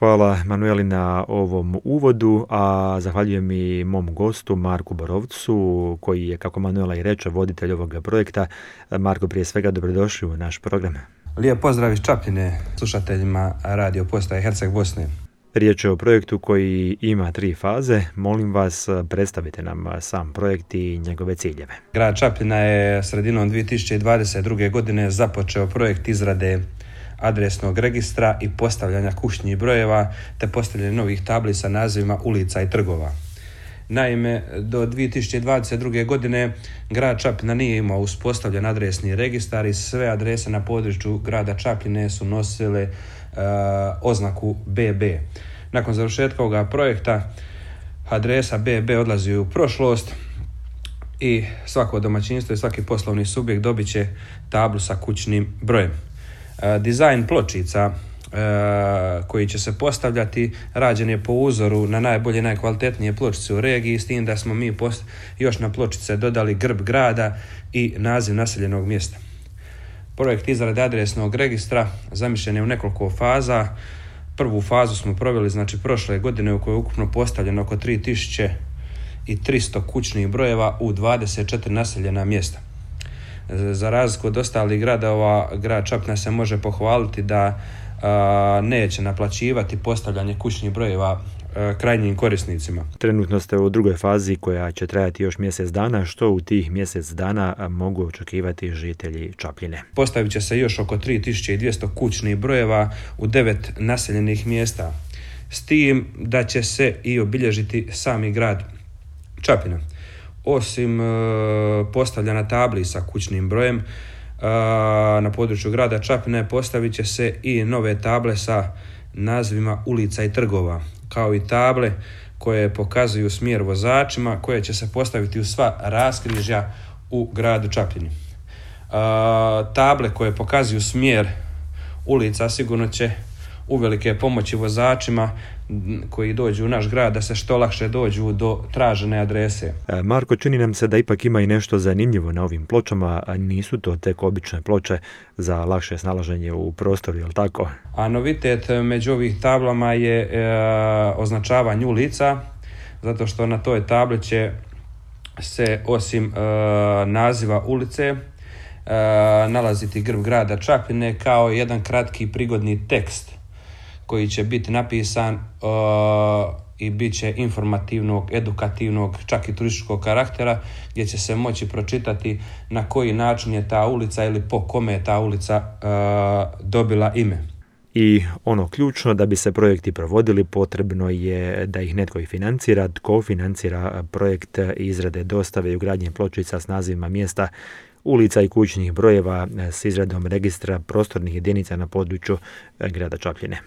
Hvala Manueli na ovom uvodu, a zahvaljujem i mom gostu Marku Borovcu, koji je, kako Manuela i reče, voditelj ovog projekta. Marko, prije svega dobrodošli u naš program. Lijep pozdrav iz Čapljine slušateljima radio postaje Herceg Bosne. Riječ je o projektu koji ima 3 faze. Molim vas, predstavite nam sam projekt i njegove ciljeve. Grad Čapljina je sredinom 2022. godine započeo projekt izrade adresnog registra i postavljanja kućnih brojeva te postavljanje novih tabli sa nazivima ulica i trgova. Naime, do 2022. godine grad Čapljina nije imao uspostavljen adresni registar i sve adrese na području grada Čapljine su nosile oznaku BB. Nakon završetka ovoga projekta adresa BB odlazi u prošlost i svako domaćinstvo i svaki poslovni subjekt dobit će tablu sa kućnim brojem. Dizajn pločica koji će se postavljati rađen je po uzoru na najbolje i najkvalitetnije pločice u regiji, s tim da smo mi još na pločice dodali grb grada i naziv naseljenog mjesta. Projekt izrade adresnog registra zamišljen je u nekoliko faza. Prvu fazu smo proveli prošle godine, u kojoj je ukupno postavljeno oko 3300 kućnih brojeva u 24 naseljena mjesta. Za razliku od ostalih gradova, grad Čapljina se može pohvaliti da neće naplaćivati postavljanje kućnih brojeva krajnjim korisnicima. Trenutno ste u drugoj fazi koja će trajati još mjesec dana. Što u tih mjesec dana mogu očekivati žitelji Čapljine? Postavit će se još oko 3200 kućnih brojeva u 9 naseljenih mjesta, s tim da će se i obilježiti sami grad Čapljina. Osim postavljanja tabli sa kućnim brojem, na području grada Čapljine postavit će se i nove table sa nazivima ulica i trgova, kao i table koje pokazuju smjer vozačima, koje će se postaviti u sva raskrižja u gradu Čapljini. Table koje pokazuju smjer ulica sigurno će uvelike pomoći vozačima koji dođu u naš grad da se što lakše dođu do tražene adrese. Marko, čini nam se da ipak ima i nešto zanimljivo na ovim pločama, a nisu to tek obične ploče za lakše snalaženje u prostoru, je li tako? A novitet među ovih tablama je označavanje ulica, zato što na toj tabli će se osim naziva ulice nalaziti grb grada Čapljine kao jedan kratki prigodni tekst koji će biti napisan i bit će informativnog, edukativnog, čak i turističkog karaktera, gdje će se moći pročitati na koji način je ta ulica ili po kome je ta ulica dobila ime. I ono ključno, da bi se projekti provodili, potrebno je da ih netko i financira. Tko financira projekt izrade, dostave i ugradnje pločica s nazivima mjesta, ulica i kućnih brojeva s izradom registra prostornih jedinica na području grada Čapljine?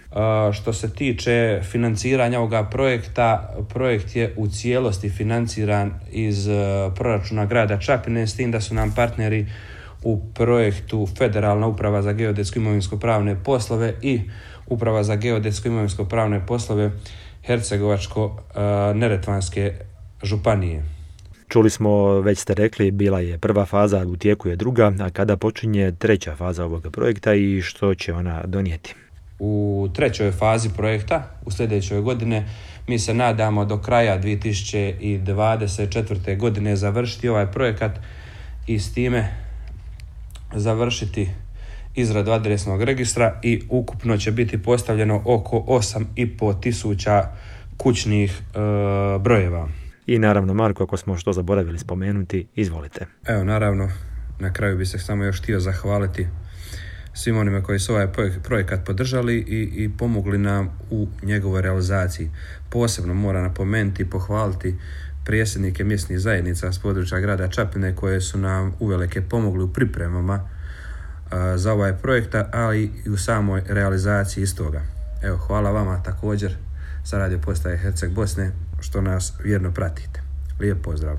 Što se tiče financiranja ovoga projekta, projekt je u cijelosti financiran iz proračuna grada Čapljine, s tim da su nam partneri u projektu Federalna uprava za geodetsko imovinsko-pravne poslove i Uprava za geodetsko imovinsko-pravne poslove Hercegovačko-neretvanske županije. Čuli smo, već ste rekli, bila je prva faza, u tijeku je druga, a kada počinje treća faza ovog projekta i što će ona donijeti? U trećoj fazi projekta, u sljedećoj godine, mi se nadamo do kraja 2024. godine završiti ovaj projekat i s time završiti izradu adresnog registra i ukupno će biti postavljeno oko 8500 kućnih brojeva. I naravno, Marko, ako smo što zaboravili spomenuti, izvolite. Evo, naravno, na kraju bi se samo još htio zahvaliti svim onima koji su ovaj projekat podržali i pomogli nam u njegovoj realizaciji. Posebno moram napomenuti i pohvaliti predsjednike mjesnih zajednica s područja grada Čapljine koje su nam uvelike pomogli u pripremama za ovaj projekt, ali i u samoj realizaciji istoga. Evo, hvala vama također sa radio postaje Herceg Bosne što nas vjerno pratite. Lijep pozdrav.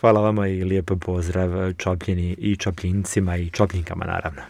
Hvala vama i lijep pozdrav Čapljini i Čapljincima i Čapljinkama, naravno.